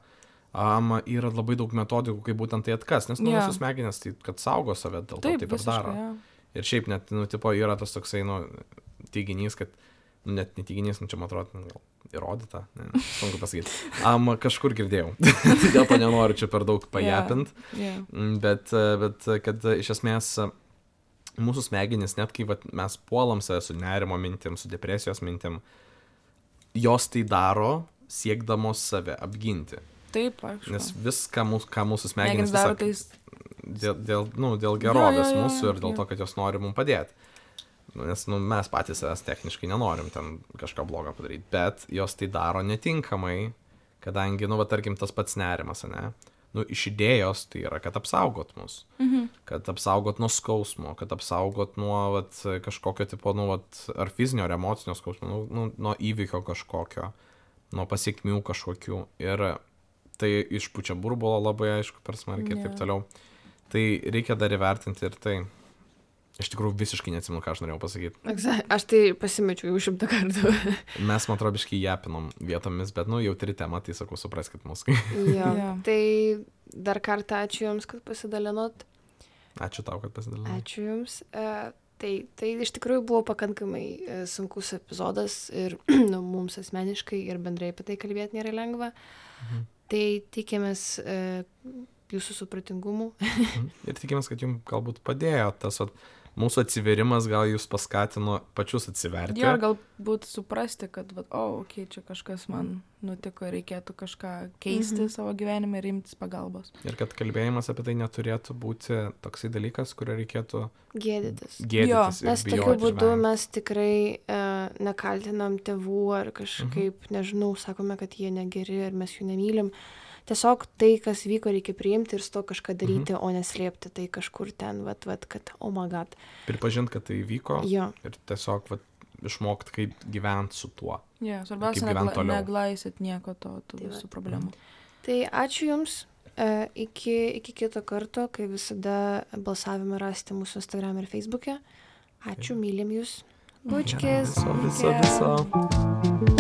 um, yra labai daug metodikų, kaip būtent tai atkas, nes nu, Jo. mūsų smegenys, tai kad saugo save, dėl to Taip, taip ir daro. visiškai, jo. Ir šiaip net, nu, tipo, yra tas toksai, nu, teiginys, kad, nu, net neteiginys, nu, čia, man atrodo, nu, gal įrodyta, ne, sunku pasakyti. Um, kažkur girdėjau, tai dėl to nenoriu čia per daug pajapint, Yeah. Mm, bet, bet kad iš esmės mūsų smegenys, net kai vat, mes puolam save su nerimo mintim, su depresijos mintim, jos tai daro siekdamos save apginti. Taip, aišku. Nes viską, mūsų, ką mūsų Smegenys smegenys daro tiesiog- tais. dėl, dėl, nu, dėl gerovės Jo, jo, jo, mūsų ir dėl jo. to, kad jos nori mums padėti. Nes nu, mes patys savęs techniškai nenorim ten kažką blogo padaryti, bet jos tai daro netinkamai, kadangi, nu, va, tarkim, tas pats nerimas, ne? Nu, iš idėjos tai yra, kad apsaugot mus, Mhm. kad apsaugot nuo skausmo, kad apsaugot nuo vat, kažkokio tipo, nu, vat, ar fizinio, ar emocinio skausmo, nu, nu, nuo įvykio kažkokio, nuo pasiekmių kažkokių. Ir tai išpučia burbulo labai aišku per smarkiai ir taip Jo. toliau. Tai reikia dar įvertinti ir tai. Iš tikrųjų visiškai neatsimenu, ką aš norėjau pasakyti. Exact. Aš tai pasimečiau jau šimtą kartų. Mes, man atrodo, biškai japinom vietomis, bet, nu, jautri tema, tai sakau, supraskit mus. Jo. Jo. Tai dar kartą ačiū Jums, kad pasidalinot. Ačiū tau, kad pasidalinai. Ačiū Jums. E, tai, tai iš tikrųjų buvo pakankamai e, sunkus epizodas ir nu, mums asmeniškai ir bendrai apie tai kalbėti nėra lengva. Mhm. Tai tikėmės e, Jūsų supratingumu. Mhm. Ir tikimės, kad jums galbūt padėjo tas, vat, mūsų atsiverimas gal jūs paskatino pačius atsiverti. Jo, ir galbūt suprasti, kad, va, o, oh, okei, okay, čia kažkas man nutiko, reikėtų kažką keisti Mhm. savo gyvenime ir imtis pagalbos. Ir kad kalbėjimas apie tai neturėtų būti toksai dalykas, kurio reikėtų Gėdytis. gėdytis. ir Nes tokiu bijoti būdu žvengti. mes tikrai e, nekaltinam tėvų ar kažkaip, mhm. nežinau, sakome, kad jie negeri ir mes jų nemylim. Tiesiog tai, kas vyko, reikia priimti ir su to kažką daryti, mhm. o neslėpti tai kažkur ten, vat, vat, kad, oh my god. Pripažinti, kad tai vyko Jo. ir tiesiog vat, išmokti, kaip gyventi su tuo. Ja, svarbiausia, Kaip gyvent negla, toliau. neglaisit nieko to, tų Tai visų vat. problemų. Tai ačiū Jums. E, iki, iki kito karto, kai visada balsavimą rasite mūsų Instagram ir Facebook'e. Ačiū, mylim Jūs. Bučkis. Viso, viso, viso.